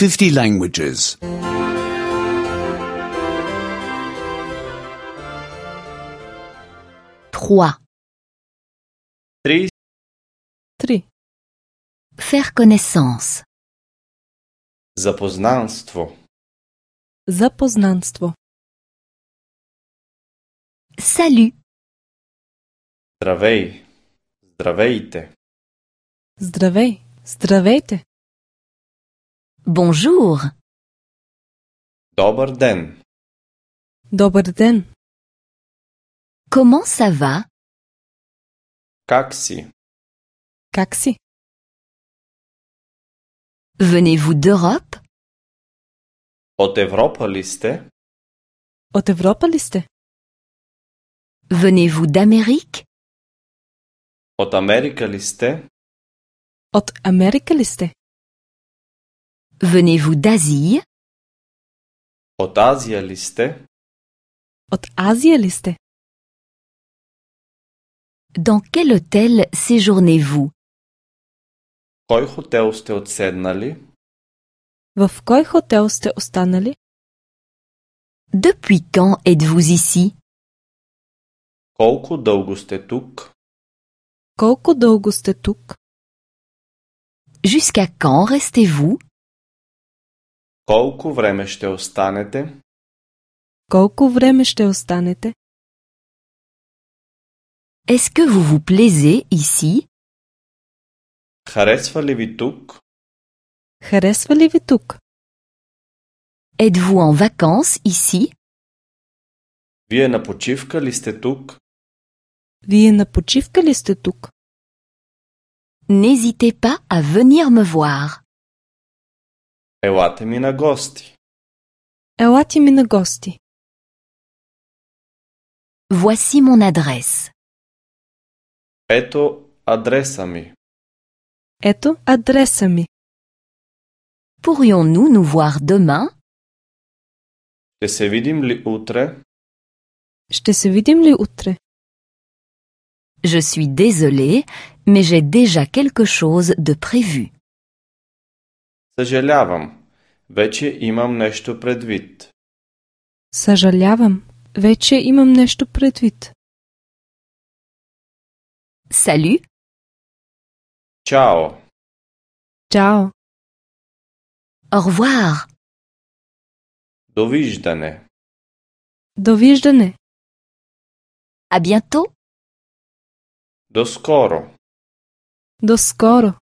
50 languages. 3. 3. 3. Faire connaissance. Запознанство. Запознанство. Salut. Здравей. Здравейте. Здравей. Здравейте. Bonjour. Добър ден. Добър ден. Comment ça va? Как си? Как си? Venez-vous d'Europe? От Европа ли сте? От Европа ли сте? Venez-vous d'Amérique? От Америка ли сте? От Америка ли сте? Venez-vous d'Asie? От Азия ли сте? От Азия ли сте? Dans quel hôtel séjournez-vous? Кой хотел сте отседнали? В кой хотел сте останали? Depuis quand êtes-vous ici? Колко дълго сте тук? Колко дълго сте тук? Jusqu'à quand restez-vous? Колко време ще останете? Колко време ще останете? Est-ce que vous vous plaisez ici? Харесва ли ви тук? Харесва ли ви тук? Êtes-vous en vacances ici? Вие на почивка ли сте тук? Вие на почивка ли сте тук? N'hésitez pas à venir me voir. Елате ми на гости. Елате ми на гости. Voici mon adresse. Ето адреса ми. Ето адреса ми. Pourrions-nous nous voir demain? Ще се видим ли утре? Ще се видим ли утре? Je suis désolée, mais j'ai déjà quelque chose de prévu. Съжалявам. Вече имам нещо предвид. Съжалявам. Вече имам нещо предвид. Salut. Чао. Чао. Au revoir. Довиждане. Довиждане. À bientôt. До скоро. До скоро.